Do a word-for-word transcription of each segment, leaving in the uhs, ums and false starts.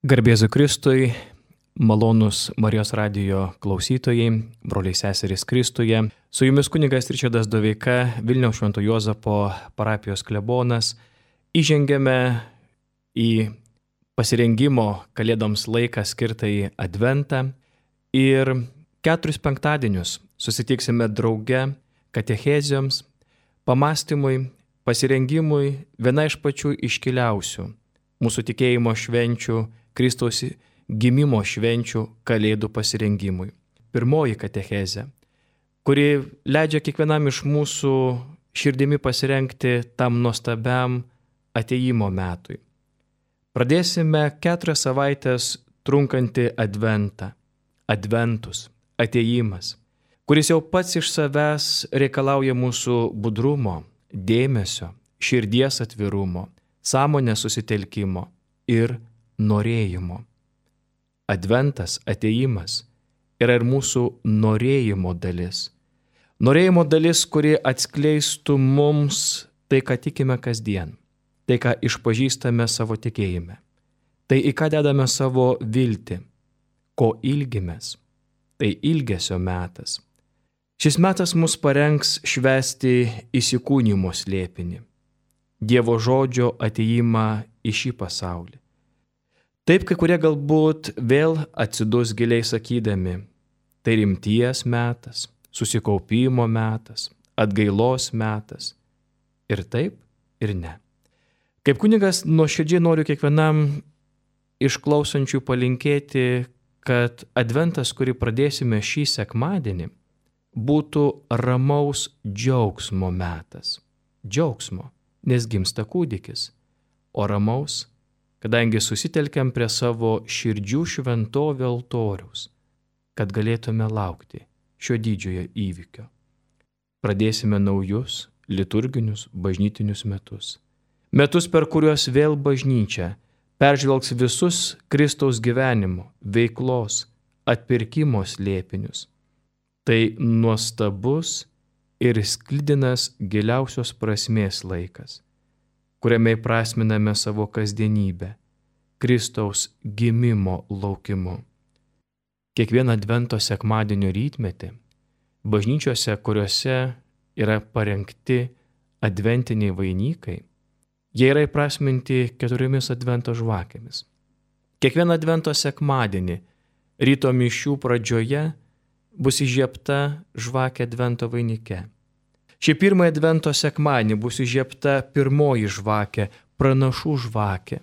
Garbėzu Kristui, malonus Marijos radijo klausytojai, broliai seserys Kristuje. Su jumis kunigas Ričardas Doveika, Vilniaus Švento Juozapo parapijos klebonas. Įžengėme į pasirengimo Kalėdoms laiką skirtą į Adventą ir keturis penktadienius susitiksime drauge katechezijoms, pamastymui, pasirengimui viena iš pačių iškiliausių mūsų tikėjimo švenčių, Kristaus gimimo švenčių Kalėdų pasirengimui. Pirmoji katechezė, kuri leidžia kiekvienam iš mūsų širdimi pasirengti tam nuostabiam atėjimo metui. Pradėsime keturias savaitės trunkantį adventą, adventus, atėjimas, kuris jau pats iš savęs reikalauja mūsų budrumo, dėmesio, širdies atvirumo, sąmonės susitelkimo ir norėjimo. Adventas, atėjimas yra ir mūsų norėjimo dalis. Norėjimo dalis, kuri atskleistų mums tai, ką tikime kasdien, tai, ką išpažįstame savo tikėjime, tai, į ką dedame savo viltį, ko ilgimės, tai ilgesio metas. Šis metas mus parengs švęsti įsikūnijimo slėpinį, Dievo žodžio atėjimą į šį pasaulį. Taip, kai kurie galbūt vėl atsidus giliai sakydami, tai rimties metas, susikaupimo metas, atgailos metas. Ir taip, ir ne. Kaip kunigas nuoširdžiai noriu kiekvienam išklausančių palinkėti, kad adventas, kurį pradėsime šį sekmadienį, būtų ramaus džiaugsmo metas. Džiaugsmo, nes gimsta kūdikis, o ramaus, kadangi susitelkiam prie savo širdžių šventovių altoriaus, kad galėtume laukti šio didžiojo įvykio. Pradėsime naujus liturginius bažnytinius metus. Metus, per kuriuos vėl bažnyčia peržvelgs visus Kristaus gyvenimo, veiklos, atpirkimo slėpinius. Tai nuostabus ir sklidinas giliausios prasmės laikas, kuriame įprasminame savo kasdienybę, Kristaus gimimo laukimu. Kiekvieną advento sekmadienio rytmetį, bažnyčiose, kuriuose yra parengti adventiniai vainikai, jie yra įprasminti keturiomis advento žvakėmis. Kiekvieną advento sekmadienį ryto mišių pradžioje bus įžiebta žvakė advento vainike. Šį pirmąjį advento sekmadienį bus įžiebta pirmoji žvakė, pranašų žvakė.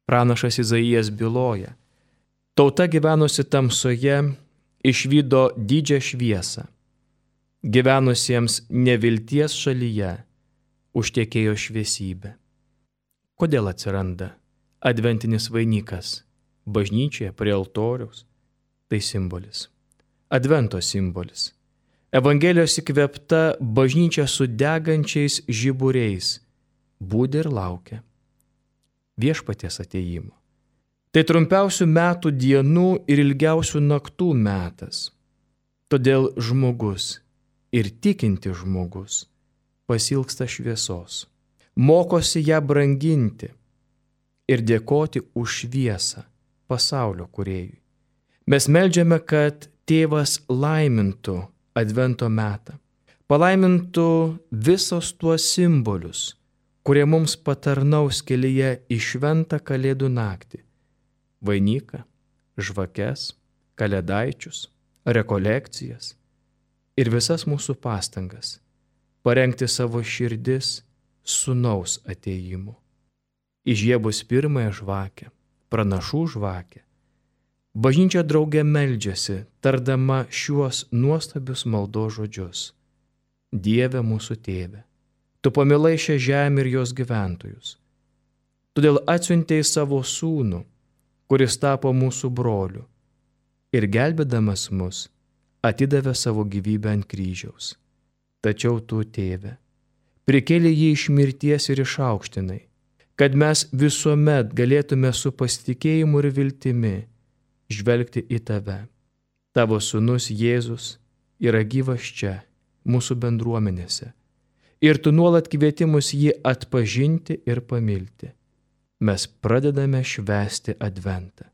Pranašas Izaijas byloja: tauta gyvenusi tamsoje išvydo didžią šviesą. Gyvenusiems nevilties šalyje užtekėjo šviesybė. Kodėl atsiranda adventinis vainikas bažnyčioje prie altoriaus? Tai simbolis. Advento simbolis. Evangelijos įkvėpta bažnyčia su degančiais žiburiais budi ir laukia viešpaties atėjimo. Tai trumpiausių metų dienų ir ilgiausių naktų metas. Todėl žmogus ir tikinti žmogus pasilgsta šviesos, mokosi ją branginti ir dėkoti už šviesą pasaulio kūrėjui. Mes meldžiame, kad Tėvas laimintų advento metą, palaimintų visos tuos simbolius, kurie mums patarnaus kelyje į šventą Kalėdų naktį. Vainiką, žvakes, kalėdaičius, rekolekcijas ir visas mūsų pastangas parengti savo širdis sūnaus atėjimu. Įžiebus pirmąją žvakę, pranašų žvakę, bažnyčia drauge meldžiasi, tardama šiuos nuostabius maldos žodžius. Dieve mūsų tėve, tu pamilai šią žemę ir jos gyventojus. Todėl atsiuntei savo sūnų, kuris tapo mūsų broliu, ir gelbėdamas mus atidavė savo gyvybę ant kryžiaus. Tačiau tu, tėve, prikėlei jį iš mirties ir išaukštinai, kad mes visuomet galėtume su pasitikėjimu ir viltimi žvelgti į tave. Tavo sūnus Jėzus yra gyvas čia, mūsų bendruomenėse, ir tu nuolat kvieti mus jį atpažinti ir pamilti. mes pradedame švęsti Adventą.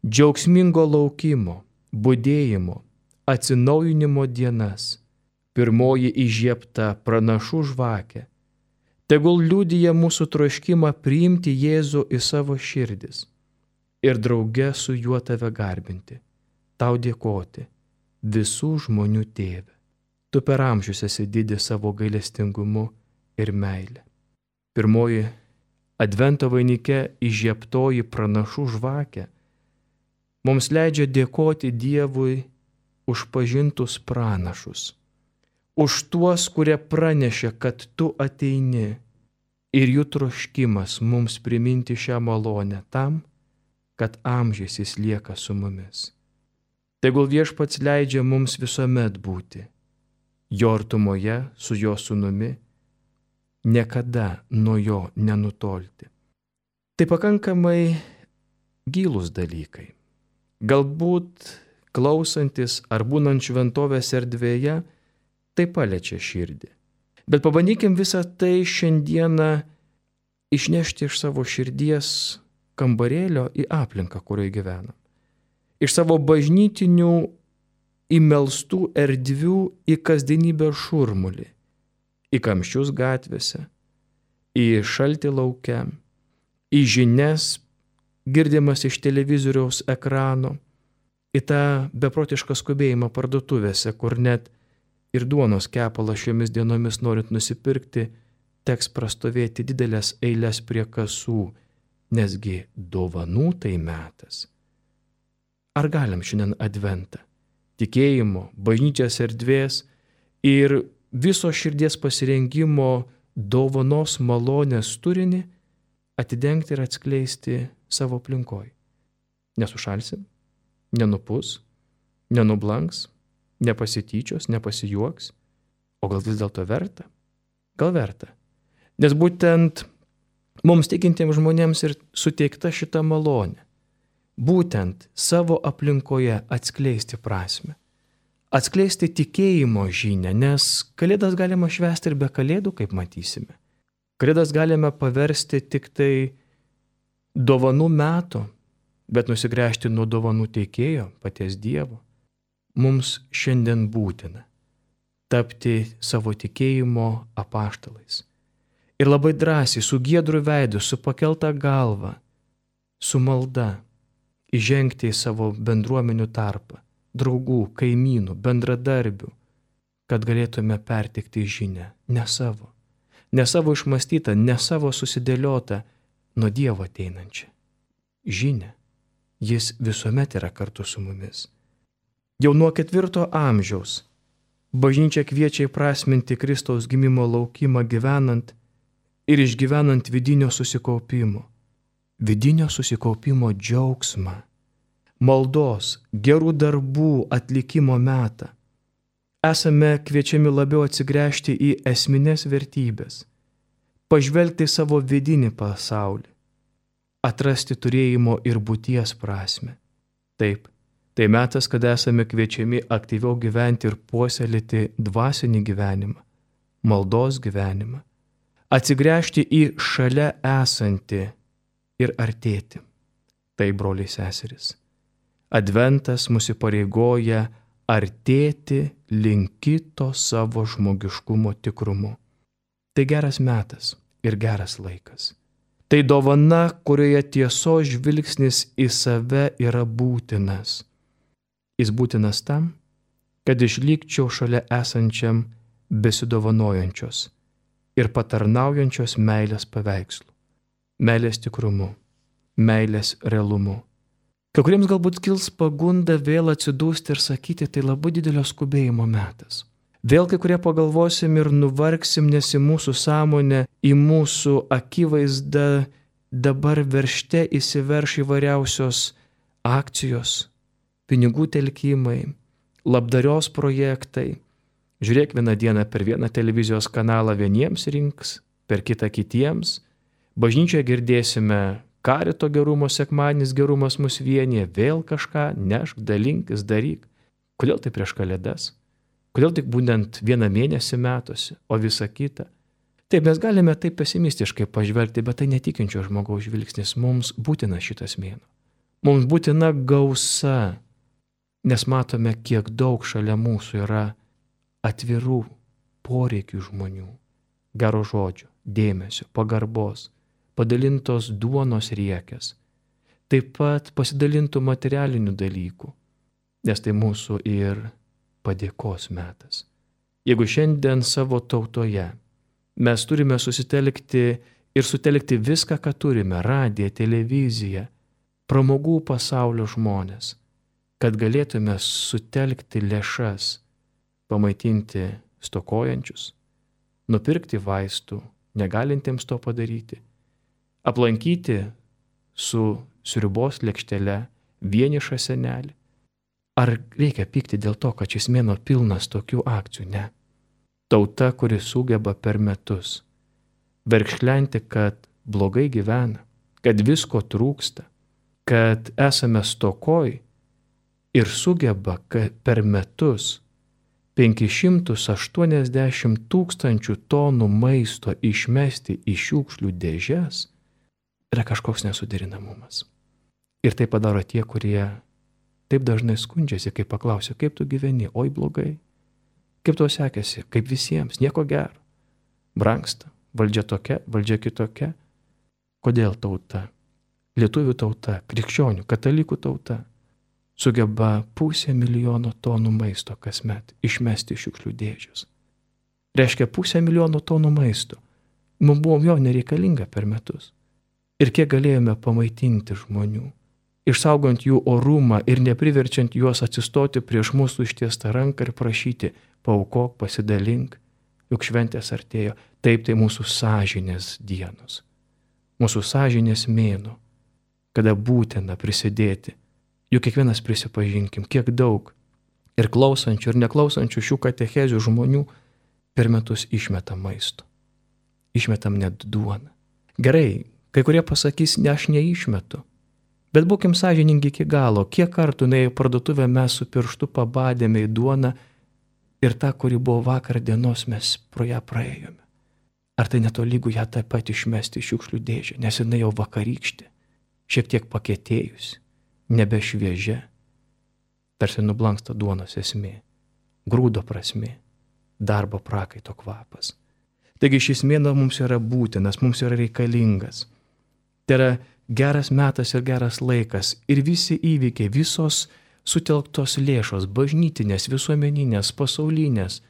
Džiaugsmingo laukimo, budėjimo, atsinaujinimo dienas. Pirmoji įžiebta pranašų žvakė. Tegul liudija mūsų troškimą priimti Jėzų į savo širdis ir drauge su juo tave garbinti, tau dėkoti, visų žmonių tėve. Tu per amžius esi didis savo gailestingumu ir meilė. Pirmoji Advento vainike įžiebtoji pranašų žvakė mums leidžia dėkoti Dievui už pažintus pranašus, už tuos, kurie pranešė, kad tu ateini, ir jų troškimas mums priminti šią malonę tam, kad amžiais jis lieka su mumis. Tegul Viešpats leidžia mums visuomet būti jo artumoje su jo sūnumi, niekada nuo jo nenutolti. Tai pakankamai gilūs dalykai. Galbūt klausantis ar būnant šventovės erdvėje, tai paliečia širdį. Bet pabandykim visą tai šiandieną išnešti iš savo širdies kambarėlio į aplinką, kurioje gyvenam. Iš savo bažnytinių įmelstų erdvių į kasdienybę šurmulį, į kamščius gatvėse, į šaltį lauke, į žinias girdimas iš televizoriaus ekrano, į tą beprotišką skubėjimą parduotuvėse, kur net ir duonos kepalą šiomis dienomis norint nusipirkti, teks prastovėti didelės eilės prie kasų, nesgi dovanų tai metas. Ar galim šiandien Adventą, tikėjimo, bažnyčios erdvės ir viso širdies pasirengimo dovanos malonės turinį atidengti ir atskleisti savo aplinkoj? Nesušalsim, nenupus, nenublanks, nepasityčios, nepasijuoks, o gal vis dėlto verta? Gal verta? Nes būtent mums tikintiems žmonėms ir suteikta šita malonė. Būtent savo aplinkoje atskleisti prasmę. Atskleisti tikėjimo žinią, nes Kalėdas galima švęsti ir be Kalėdų, kaip matysime. Kalėdas galime paversti tik tai dovanų metu, bet nusigręžti nuo dovanų teikėjo, paties Dievo. Mums šiandien būtina tapti savo tikėjimo apaštalais. Ir labai drąsiai, su giedru veidu, su pakelta galva, su malda, įžengti į savo bendruomenių tarpą, draugų, kaimynų, bendradarbių, kad galėtume perteikti žinią, ne savo, ne savo išmąstytą, ne savo susidėliotą, nuo Dievo ateinančią žinią. Jis visuomet yra kartu su mumis. Jau nuo ketvirto amžiaus bažnyčia kviečia įprasminti Kristaus gimimo laukimą gyvenant ir išgyvenant vidinio susikaupimo, vidinio susikaupimo džiaugsmą, maldos, gerų darbų atlikimo metą. Esame kviečiami labiau atsigręžti į esminės vertybės, pažvelgti į savo vidinį pasaulį, atrasti turėjimo ir būties prasmę. Taip, tai metas, kada esame kviečiami aktyviau gyventi ir puoselėti dvasinį gyvenimą, maldos gyvenimą, atsigręžti į šalia esantį ir artėti. Tai, broliai seserys, Adventas mus įpareigoja artėti link kito savo žmogiškumo tikrumu. Tai geras metas ir geras laikas. Tai dovana, kurioje tiesos žvilgsnis į save yra būtinas. Jis būtinas tam, kad išlikčiau šalia esančiam besidovanojančios ir patarnaujančios meilės paveikslu, meilės tikrumu, meilės realumu. Kai kuriems galbūt kils pagunda vėl atsidūsti ir sakyti, tai labai didelio skubėjimo metas. Vėl kai kurie pagalvosim ir nuvargsim, nes į mūsų sąmonę, į mūsų akivaizdą dabar veržte įsiverš įvairiausios akcijos, pinigų telkimai, labdarios projektai. Žiūrėk, vieną dieną per vieną televizijos kanalą vieniems rinks, per kitą kitiems. Bažnyčioje girdėsime karito gerumo sekmadienis, gerumas mus vienyje, vėl kažką nešk, dalinkis, daryk. Kodėl tai prieš Kalėdas? Kodėl tik būtent vieną mėnesį metuose, o visa kita? Taip, mes galime taip pesimistiškai pažvelgti, bet tai netikinčio žmogaus žvilgsnis. Mums būtina šitas mėnuo. Mums būtina gausa, nes matome, kiek daug šalia mūsų yra atvirų poreikių žmonių, gero žodžio, dėmesio, pagarbos, padalintos duonos riekės, taip pat pasidalintų materialinių dalykų, nes tai mūsų ir padėkos metas. Jeigu šiandien savo tautoje mes turime susitelkti ir sutelkti viską, ką turime, radiją, televiziją, pramogų pasaulio žmonės, kad galėtume sutelkti lėšas, pamaitinti stokojančius, nupirkti vaistų, negalintiems to padaryti, aplankyti su sriubos lėkštele vienišą senelį. Ar reikia pykti dėl to, kad šis mėnuo pilnas tokių akcijų? Ne. Tauta, kuri sugeba per metus verkšlenti, kad blogai gyvena, kad visko trūksta, kad esame stokoj ir sugeba per metus penkis šimtus aštuoniasdešimt tūkstančių tonų maisto išmesti į šiukšlių dėžes, yra kažkoks nesuderinamumas. Ir tai padaro tie, kurie taip dažnai skundžiasi, kai paklausia, kaip tu gyveni, oi blogai. Kaip tau sekėsi, kaip visiems, nieko gero. Brangsta, valdžia tokia, valdžia kitokia. Kodėl tauta, lietuvių tauta, krikščionių, katalikų tauta, sugeba pusę milijono tonų maisto kasmet išmesti iš šiukšlių dėžės? Reiškia pusę milijono tonų maisto. Mums buvo jo nereikalinga per metus. Ir kiek galėjome pamaitinti žmonių, išsaugant jų orumą ir nepriverčiant juos atsistoti prieš mūsų ištiestą ranką ir prašyti, paaukok, pasidalink, juk šventės artėjo. Taip, tai mūsų sąžinės dienos, mūsų sąžinės mėnuo, kada būtina prisidėti. Juk kiekvienas prisipažinkim, kiek daug ir klausančių, ir neklausančių šių katechezių žmonių per metus išmetam maisto. Išmetam net duoną. Gerai, kai kurie pasakys, ne, aš neišmetu. Bet būkim sąžiningi iki galo, kiek kartų nuėję į parduotuvę mes su pirštu pabadėme į duoną ir tą, kuri buvo vakar dienos, mes pro ją praėjome. Ar tai netolygų ją taip pat išmesti iš šiukšlių dėžę, nes jinai jau vakarykštė, šiek tiek pakėtėjusi, nebešviežia, tarsi nublanksta duonos esmė, grūdo prasmė, darbo prakaito kvapas. Taigi šis mėnuo mums yra būtinas, mums yra reikalingas. Tai yra geras metas ir geras laikas ir visi įvykiai, visos sutelktos lėšos, bažnytinės, visuomeninės, pasaulinės,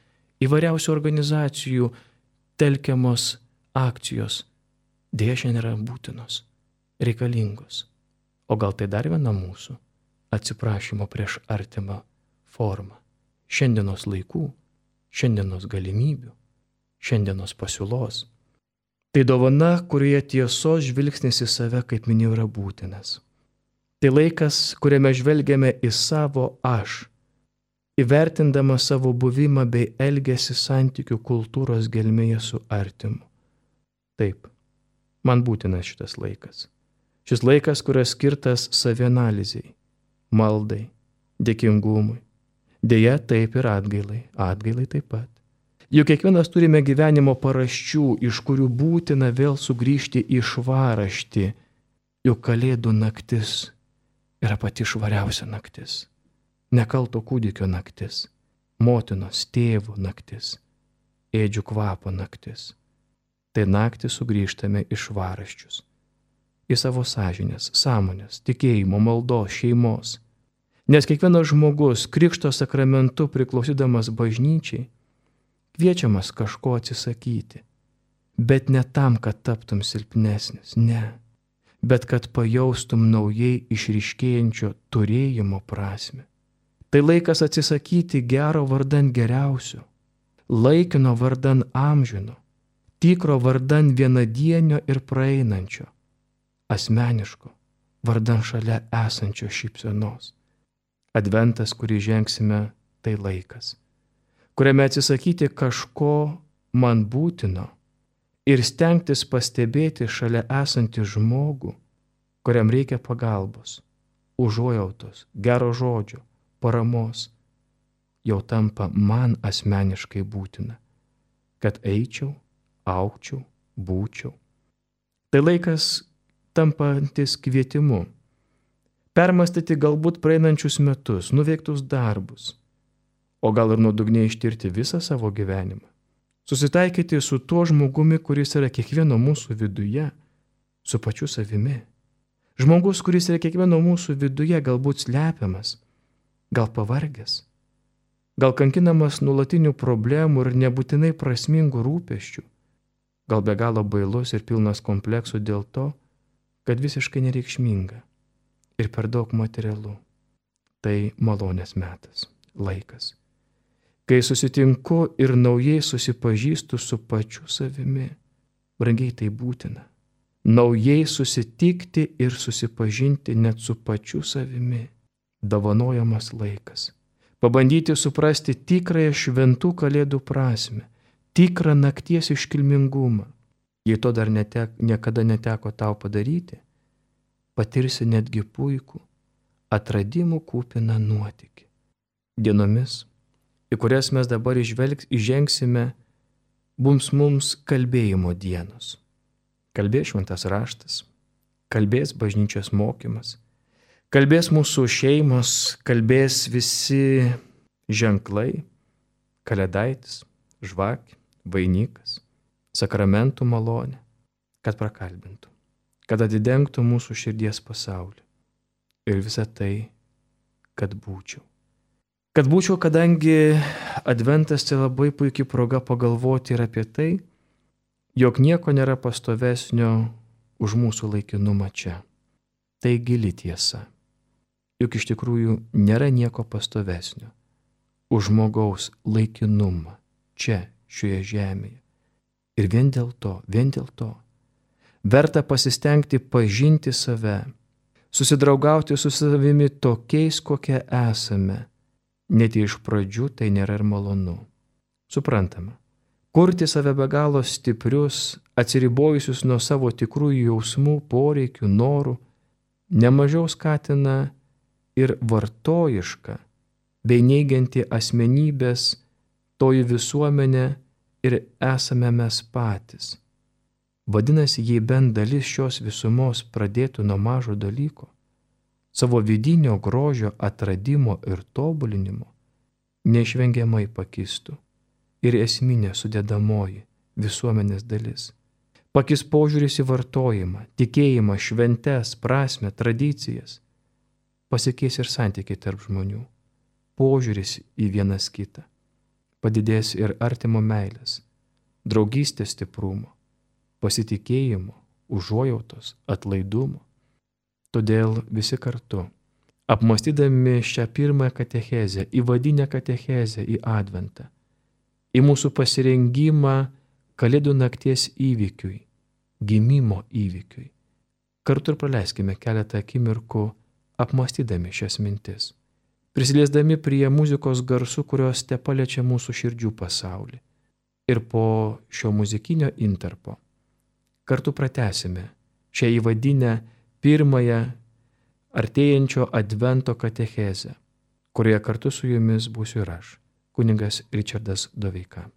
įvairiausių organizacijų telkiamos akcijos, dėja šiandien yra būtinos, reikalingos. O gal tai dar viena mūsų atsiprašymo prieš artimą forma. Šiandienos laikų, šiandienos galimybių, šiandienos pasiūlos. Tai dovana, kurioje tiesos žvilgsnis į save, kaip minėjau, yra būtinas. Tai laikas, kuriame žvelgiame į savo aš, įvertindama savo buvimą bei elgesį santykių kultūros gelmėje su artimu. Taip, man būtinas šitas laikas. Šis laikas, kuris skirtas savianalizei, maldai, dėkingumui. Deja, taip ir atgailai, atgailai taip pat. Juk kiekvienas turime gyvenimo paraščių, iš kurių būtina vėl sugrįžti į švaraštį, juk Kalėdų naktis yra pati švariausia naktis. Nekalto kūdikio naktis, motinos, tėvų naktis, ėdžių kvapo naktis. Tai naktį sugrįžtame į švaraščius, į savo sąžinės, sąmonės, tikėjimo, maldos, šeimos. Nes kiekvienas žmogus krikšto sakramentu priklausydamas bažnyčiai kviečiamas kažko atsisakyti, bet ne tam, kad taptum silpnesnis, ne, bet kad pajaustum naujai išryškėjančio turėjimo prasme. Tai laikas atsisakyti gero vardan geriausio, laikino vardan amžino, tikro vardan vienadienio ir praeinančio, asmeniško vardan šalia esančio šypsenos. Adventas, kurį žengsime, tai laikas, kuriame atsisakyti kažko man būtino ir stengtis pastebėti šalia esantį žmogų, kuriam reikia pagalbos, užuojautos, gero žodžio, paramos, jau tampa man asmeniškai būtina, kad eičiau, augčiau, būčiau. Tai laikas tampantis kvietimu. Permastyti galbūt praeinančius metus, nuveiktus darbus, o gal ir nuodugniai ištirti visą savo gyvenimą. Susitaikyti su tuo žmogumi, kuris yra kiekvieno mūsų viduje, su pačiu savimi. Žmogus, kuris yra kiekvieno mūsų viduje, galbūt slepiamas, gal pavargęs, gal kankinamas nuolatinių problemų ir nebūtinai prasmingų rūpesčių, gal be galo bailus ir pilnas kompleksų dėl to, kad visiškai nereikšminga ir per daug materialu. Tai malonės metas, laikas, kai susitinku ir naujai susipažįstu su pačiu savimi. Brangiai, tai būtina. Naujai susitikti ir susipažinti net su pačiu savimi. Dovanojamas laikas. Pabandyti suprasti tikrąją šventų kalėdų prasmę, tikrą nakties iškilmingumą. Jei to dar netek, niekada neteko tau padaryti, patirsi netgi puikų, atradimų kupiną nuotykį. Dienomis, į kurias mes dabar išvelgs, įžengsime, bums mums kalbėjimo dienos. Kalbės šventas raštas, kalbės bažnyčios mokymas, kalbės mūsų šeimos, kalbės visi ženklai, kalėdaitis, žvakė, vainikas, sakramentų malonė, kad prakalbintų, kad atidengtų mūsų širdies pasaulį. Ir visa tai, kad būčiau. Kad būčiau, kadangi adventas tai labai puikiai proga pagalvoti ir apie tai, jog nieko nėra pastovesnio už mūsų laikinumą čia. Tai gili tiesa. Juk iš tikrųjų nėra nieko pastovesnio už žmogaus laikinumą čia, šioje žemėje. Ir vien dėl to, vien dėl to, verta pasistengti pažinti save, susidraugauti su savimi tokiais, kokie esame. Net iš pradžių tai nėra ir malonu. Suprantama, kurti save be galo stiprius, atsiribojusius nuo savo tikrųjų jausmų, poreikių, norų, nemažiau skatina ir vartojiška, bei neigianti asmenybės toji visuomenė ir esame mes patys. Vadinasi, jei bent dalis šios visumos pradėtų nuo mažo dalyko, savo vidinio grožio atradimo ir tobulinimo, neišvengiamai pakistų ir esminė sudėdamoji visuomenės dalis. Pakis požiūris į vartojimą, tikėjimą, šventes, prasmę, tradicijas. Pasikeis ir santykiai tarp žmonių, požiūris į vienas kitą. Padidės ir artimo meilės, draugystės stiprumo, pasitikėjimo, užuojautos, atlaidumo. Todėl visi kartu, apmąstydami šią pirmąją katechezę, įvadinę katechezę į adventą, į mūsų pasirengimą Kalėdų nakties įvykiui, gimimo įvykiui, kartu ir praleiskime keletą akimirkų apmąstydami šias mintis, prisiliesdami prie muzikos garsų, kurios te paliečia mūsų širdžių pasaulį. Ir po šio muzikinio intarpo kartu pratęsime šią įvadinę pirmąją artėjančio advento katechezę, kurioje kartu su jumis būsiu ir aš, kunigas Ričardas Doveika.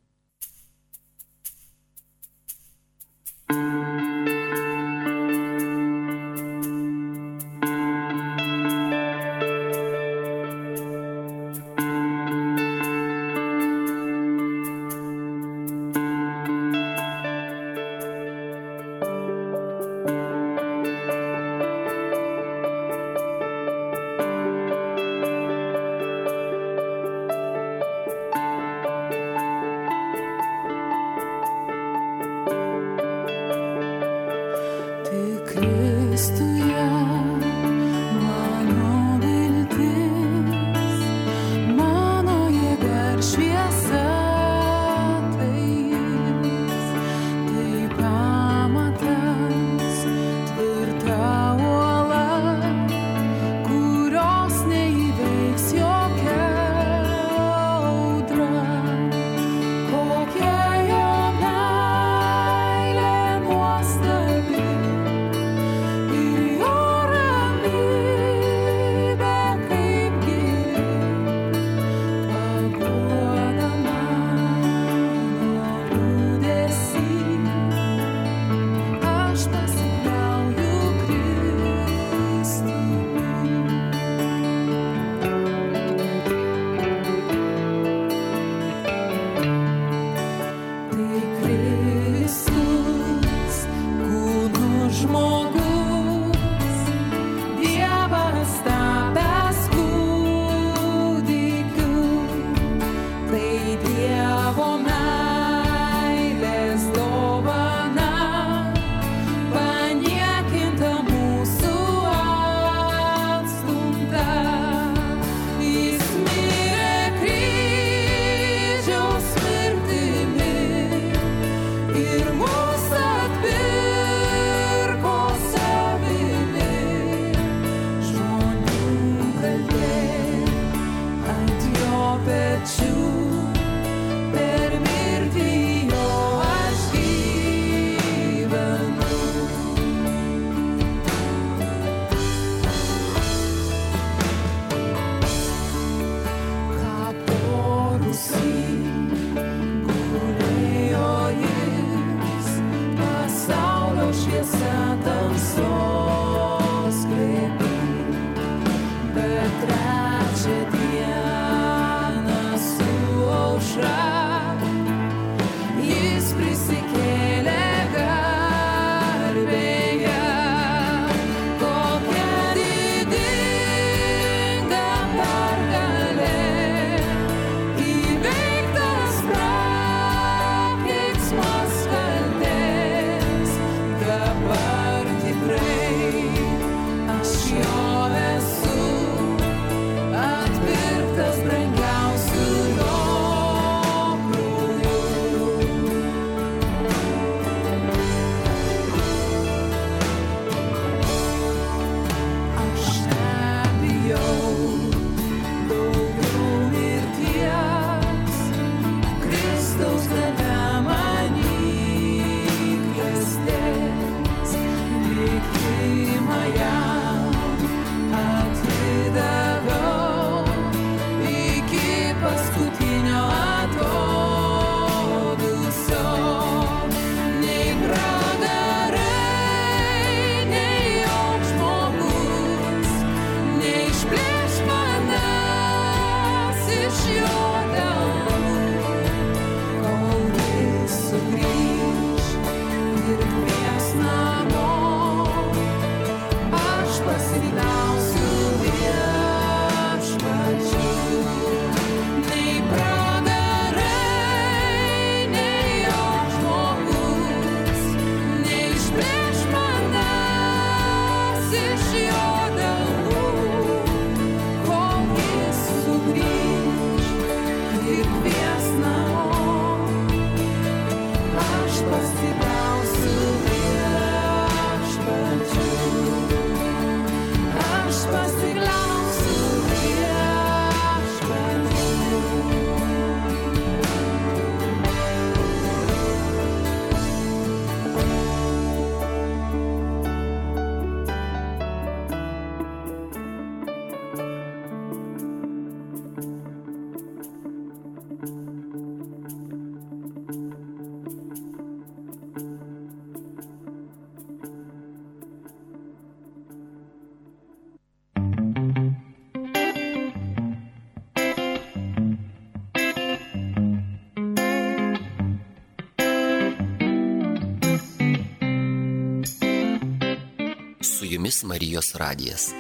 jumis Marijos radijas.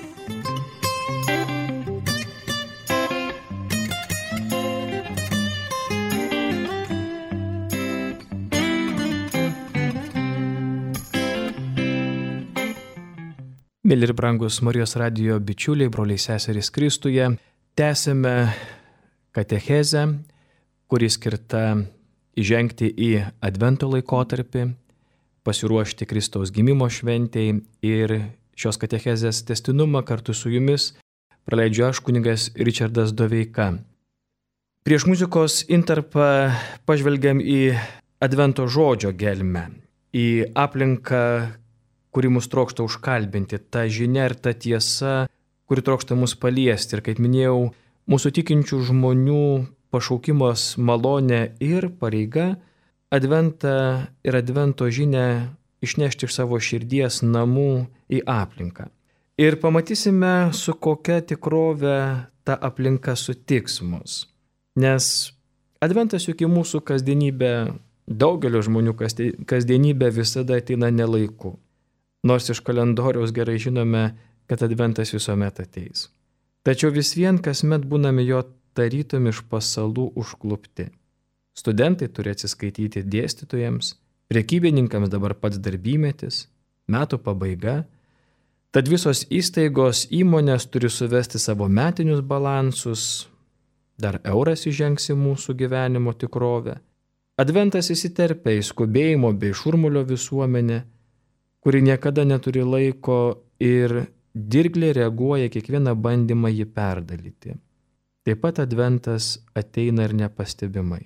Mėly ir brangus Marijos radijo bičiuliai, broliai seserys Kristuje, tęsime katechezę, kuri skirta įžengti į Advento laikotarpį, pasiruošti Kristaus gimimo šventei, ir šios katechezės tęstinumą kartu su jumis praleidžiu aš, kunigas Ričardas Doveika. Prieš muzikos intarpą pažvelgiam į Advento žodžio gelmę, į aplinką, kuri mus trokšta užkalbinti, ta žinia ir ta tiesa, kuri trokšta mus paliesti. Ir kaip minėjau, mūsų tikinčių žmonių pašaukimas, malonė ir pareiga Adventą ir Advento žinią išnešti iš savo širdies namų į aplinką. Ir pamatysime, su kokia tikrove ta aplinka sutiks mus. Nes Adventas juk į mūsų kasdienybę, daugelio žmonių kasdienybę visada ateina nelaiku. Nors iš kalendoriaus gerai žinome, kad Adventas visuomet ateis. Tačiau vis vien kasmet būname jo tarytum iš pasalų užklupti. Studentai turi atsiskaityti dėstytojams, prekybininkams dabar pats darbymetis, metų pabaiga. Tad visos įstaigos, įmonės turi suvesti savo metinius balansus, dar euras įžengs į mūsų gyvenimo tikrovę. Adventas įsiterpia į skubėjimo bei šurmulio visuomenę, kuri niekada neturi laiko ir dirgliai reaguoja kiekvieną bandymą jį perdalyti. Taip pat Adventas ateina ir nepastebimai.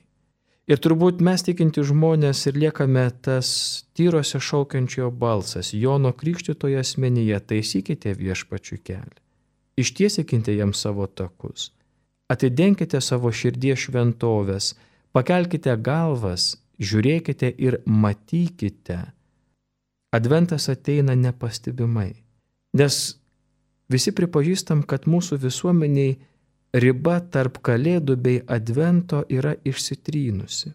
Ir turbūt mes tikinti žmonės ir liekame tas tyrose šaukiančiojo balsas, Jono Krikštytojo asmenyje: taisykite viešpačiui kelią, ištiesinkite jam savo takus, atidenkite savo širdies šventoves, pakelkite galvas, žiūrėkite ir matykite. Adventas ateina nepastebimai, nes visi pripažįstam, kad mūsų visuomeniai riba tarp Kalėdų bei Advento yra išsitrynusi.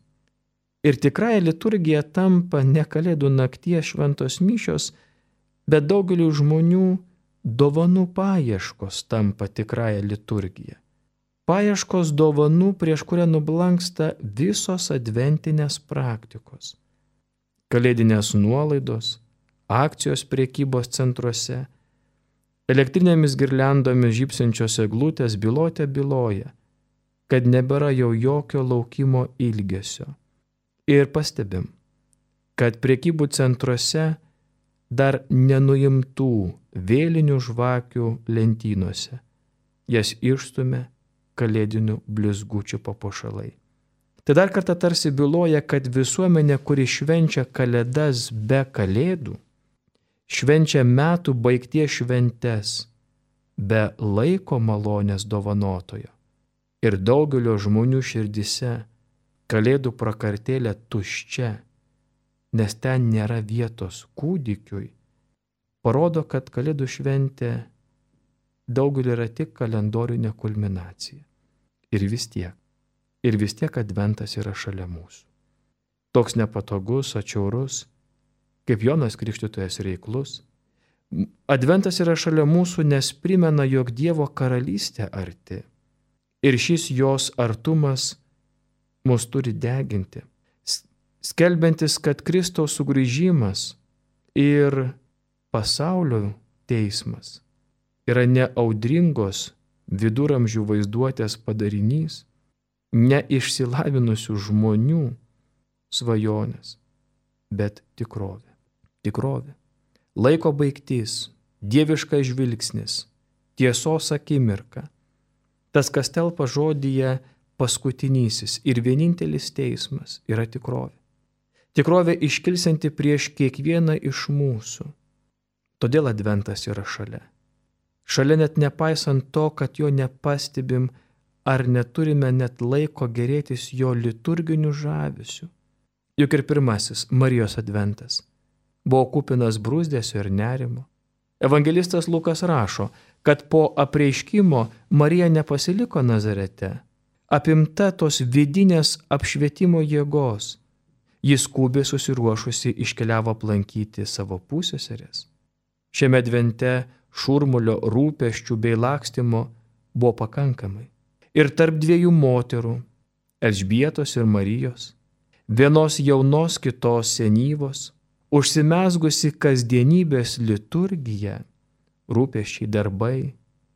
Ir tikrąja liturgija tampa ne Kalėdų nakties šventos mišios, bet daugeliu žmonių dovanų paieškos tampa tikrąja liturgija. Paieškos dovanų, prieš kurią nublanksta visos adventinės praktikos. Kalėdinės nuolaidos, akcijos prekybos centruose, elektrinėmis girliandomis žybsinčios eglutės bylotė byloja, kad nebėra jau jokio laukimo ilgesio. Ir pastebim, kad prekybų centruose dar nenuimtų vėlinių žvakių lentynose. Jas išstumia kalėdinių blizgučių papuošalai. Tai dar kartą tarsi byloja, kad visuomenė, kuri švenčia kalėdas be kalėdų, švenčia metų baigties šventes be laiko malonės dovanotojo. Ir daugelio žmonių širdise kalėdų prakartėlė tuščia, nes ten nėra vietos kūdikiui, parodo, kad kalėdų šventė daugeliu yra tik kalendorinė kulminacija. Ir vis tiek. Ir vis tiek Adventas yra šalia mūsų. Toks nepatogus, atšiaurus, kaip Jonas Krikštytojas reiklus. Adventas yra šalia mūsų, nes primena, jog Dievo karalystė arti. Ir šis jos artumas mus turi deginti, skelbiantis, kad Kristaus sugrįžimas ir pasaulio teismas yra ne audringos viduramžių vaizduotės padarinys, ne išsilavinusių žmonių svajonės, bet tikrovė. Tikrovė. Laiko baigtis, dieviškas žvilgsnis, tiesos akimirka. Tas, kas telpa žodyje paskutinysis ir vienintelis teismas, yra tikrovė. Tikrovė iškilsianti prieš kiekvieną iš mūsų. Todėl Adventas yra šalia. Šalia net nepaisant to, kad jo nepastebim ar neturime net laiko gerėtis jo liturginiu žavesiu. Juk ir pirmasis Marijos Adventas buvo kupinas brūzdesio ir nerimo. Evangelistas Lukas rašo, kad po apreiškimo Marija nepasiliko Nazarete, apimta tos vidinės apšvietimo jėgos. Jis skubiai susiruošusi iškeliavo aplankyti savo pusseserės. Šiame advente šurmulio, rūpesčių bei lakstymo buvo pakankamai. Ir tarp dviejų moterų, Elžbietos ir Marijos, vienos jaunos, kitos senyvos, užsimezgusi kasdienybės liturgija, rūpesčiai, darbai,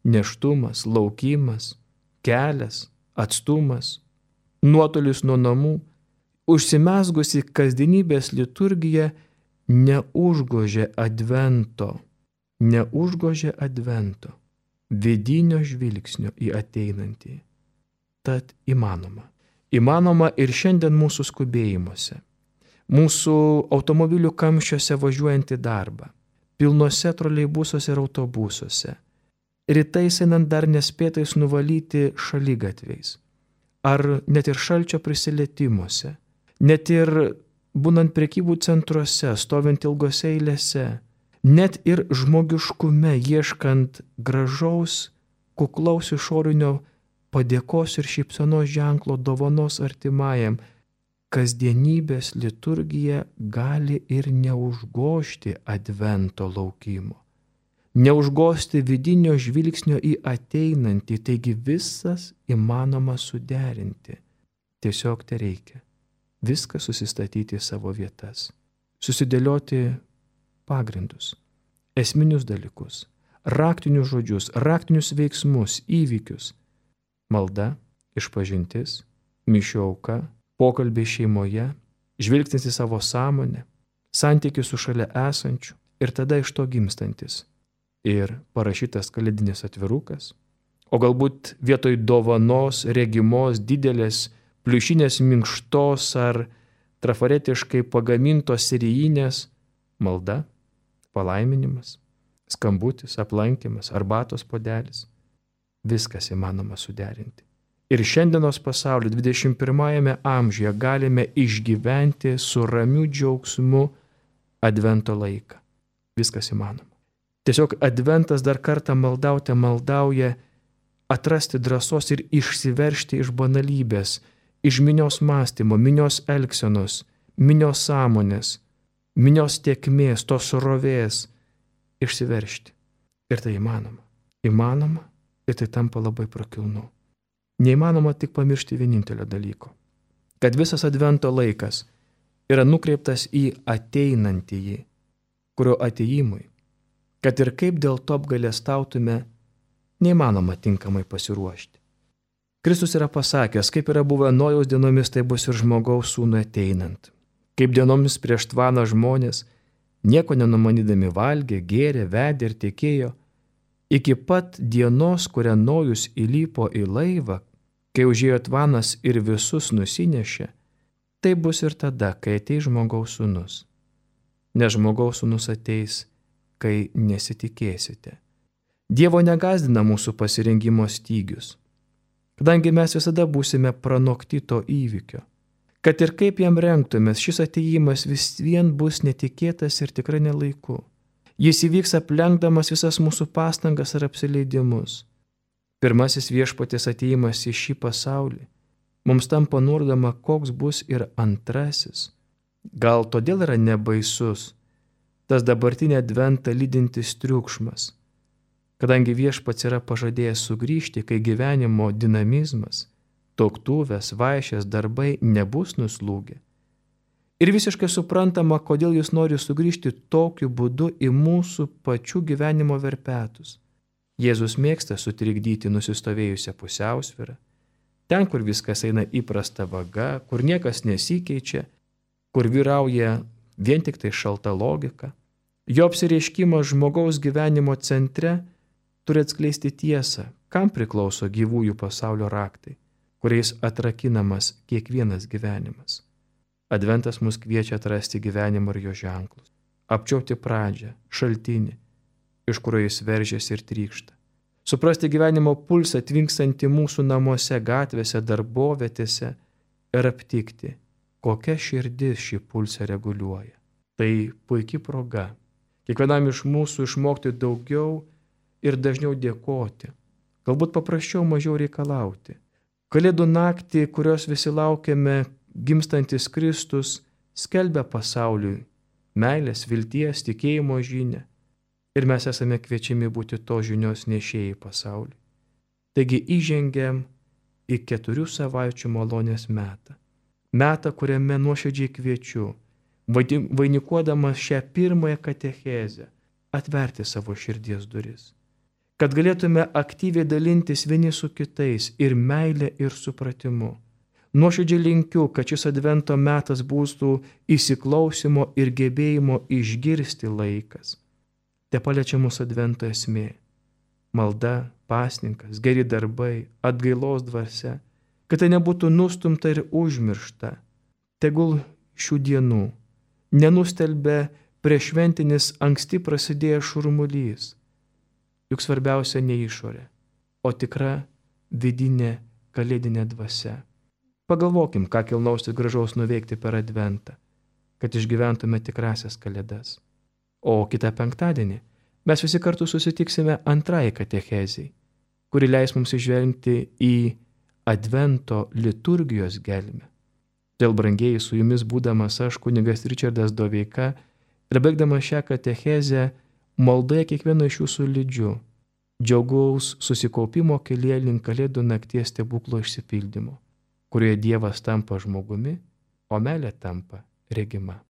nėštumas, laukimas, kelias, atstumas, nuotolis nuo namų, užsimezgusi kasdienybės liturgija neužgožė advento, neužgožė advento, vidinio žvilgsnio į ateinantį. Tad įmanoma. Įmanoma ir šiandien mūsų skubėjimuose, mūsų automobilių kamščiuose važiuojant į darbą, pilnuose troleibusuose ir autobusuose, rytais einant dar nespėtais nuvalyti šaligatviais, ar net ir šalčio prisilietimuose, net ir būnant prekybų centruose, stovint ilgose eilėse, net ir žmogiškume ieškant gražaus, kuklaus išorinio padėkos ir šypsenos ženklo dovanos artimajam, kasdienybės liturgija gali ir neužgožti advento laukimo, neužgožti vidinio žvilgsnio į ateinantį, taigi visas įmanoma suderinti. Tiesiog te reikia viską susistatyti į savo vietas, susidėlioti pagrindus, esminius dalykus, raktinius žodžius, raktinius veiksmus, įvykius. Malda, išpažintis, mišių auka, pokalbiai šeimoje, žvilgsnis į savo sąmonę, santykis su šalia esančiu ir tada iš to gimstantis. Ir parašytas kalėdinis atvirukas, o galbūt vietoj dovanos regimos didelės pliušinės minkštos ar trafaretiškai pagamintos serijinės malda, palaiminimas, skambutis, aplankymas, arbatos puodelis. Viskas įmanoma suderinti. Ir šiandienos pasaulio dvidešimt pirmajame amžiuje galime išgyventi su ramiu džiaugsmu advento laiką. Viskas įmanoma. Tiesiog adventas dar kartą maldauti maldauja atrasti drąsos ir išsiveržti iš banalybės, iš minios mąstymo, minios elgsenos, minios sąmonės, minios tėkmės, tos srovės, išsiveržti. Ir tai įmanoma. Įmanoma. Ir tai tampa labai prakilnu. Neįmanoma tik pamiršti vienintelio dalyko, kad visas advento laikas yra nukreiptas į ateinantįjį, kurio atėjimui, kad ir kaip dėl to apgailestautume, neįmanoma tinkamai pasiruošti. Kristus yra pasakęs, kaip yra buvę Nojaus dienomis, tai bus ir žmogaus sūnui ateinant. Kaip dienomis prieš tvaną žmonės, nieko nenumanydami valgė, gėrė, vedė ir tikėjo, iki pat dienos, kurią Nojus įlipo į laivą, kai užėjo tvanas ir visus nusinešė, tai bus ir tada, kai ateis žmogaus sūnus. Nes žmogaus sūnus ateis, kai nesitikėsite. Dievo negazdina mūsų pasirengimo stygius, kadangi mes visada būsime pranokti to įvykio. Kad ir kaip jam rengtumės, šis atėjimas vis vien bus netikėtas ir tikrai nelaiku. Jis įvyks aplenkdamas visas mūsų pastangas ir apsileidimus. Pirmasis viešpaties atėjimas į šį pasaulį mums tampa nurodoma, koks bus ir antrasis. Gal todėl yra nebaisus tas dabartinį adventą lydintis triukšmas, kadangi viešpats yra pažadėjęs sugrįžti, kai gyvenimo dinamizmas, tuoktuvės, vaišės, darbai nebus nuslūgę. Ir visiškai suprantama, kodėl jis nori sugrįžti tokiu būdu į mūsų pačių gyvenimo verpetus. Jėzus mėgsta sutrikdyti nusistovėjusią pusiausvyrą, ten, kur viskas eina įprasta vaga, kur niekas nesikeičia, kur vyrauja vien tik tai šalta logika. Jo apsireiškimas žmogaus gyvenimo centre turi atskleisti tiesą, kam priklauso gyvųjų pasaulio raktai, kuriais atrakinamas kiekvienas gyvenimas. Adventas mus kviečia atrasti gyvenimą ir jo ženklus, apčiuopti pradžią, šaltinį, iš kurio jis veržiasi ir trykšta. Suprasti gyvenimo pulsą tvinkstantį mūsų namuose, gatvėse, darbovietėse ir aptikti, kokia širdis šį pulsą reguliuoja. Tai puikia proga kiekvienam iš mūsų išmokti daugiau ir dažniau dėkoti, galbūt paprasčiau mažiau reikalauti. Kalėdų naktį, kurios visi laukiame, gimstantis Kristus skelbia pasauliui meilės, vilties, tikėjimo žinią ir mes esame kviečiami būti to žinios nešėjai pasauliui. Taigi įžengiam į keturių savaičių malonės metą. Metą, kuriame nuoširdžiai kviečiu, vainikuodamas šią pirmąją katechezę, atverti savo širdies duris, kad galėtume aktyviai dalintis vieni su kitais ir meilė ir supratimu. Nuoširdžiai linkiu, kad šis advento metas būtų įsiklausimo ir gebėjimo išgirsti laikas. Te paliečia mūsų advento esmė - malda, pasninkas, geri darbai, atgailos dvasia, kad tai nebūtų nustumta ir užmiršta. Tegul šių dienų nenustelbia prieššventinis anksti prasidėjęs šurmulys. Juk svarbiausia ne išorė, o tikra vidinė kalėdinė dvasia. Pagalvokim, ką kilnaus ir gražaus nuveikti per adventą, kad išgyventume tikrasias kalėdas. O kitą penktadienį mes visi kartu susitiksime antrąjį katechezei, kuri leis mums išvelgti į advento liturgijos gelmę. Dėl brangieji su jumis būdamas aš, kunigas Ričardas Doveika, ir baigdamas šią katechezę, maldoje kiekvieno iš jūsų lydžiu, džiaugaus susikaupimo kelyje link kalėdų nakties stebuklo išsipildymo, kurioje Dievas tampa žmogumi, o meilė tampa regima.